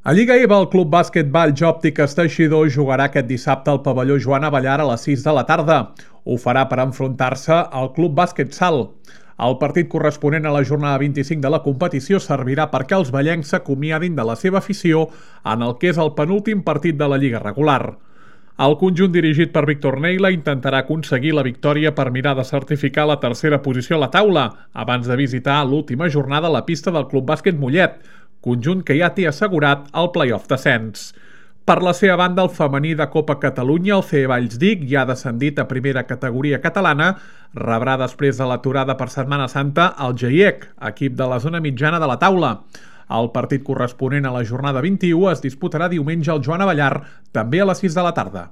A Lliga EVA, el Club Bàsquet Valls Òptiques Teixidor jugarà aquest dissabte al pavelló Joan Abellar a les 6 de la tarda. Ho farà per enfrontar-se al Club Bàsquet Salt. El partit corresponent a la jornada 25 de la competició servirà perquè els vallencs s'acomiadin de la seva afició en el que és el penúltim partit de la Lliga regular. El conjunt dirigit per Víctor Neila intentarà aconseguir la victòria per mirar de certificar la tercera posició a la taula, abans de visitar l'última jornada a la pista del Club Bàsquet Mollet, conjunt que ja té assegurat el play-off d'ascens. Per la seva banda, el femení de Copa Catalunya, el CE Vallsdic, ja ha descendit a primera categoria catalana, rebrà després de l'aturada per Setmana Santa el GIEC, equip de la zona mitjana de la taula. El partit corresponent a la jornada 21 es disputarà diumenge al Joan Abellar, també a les 6 de la tarda.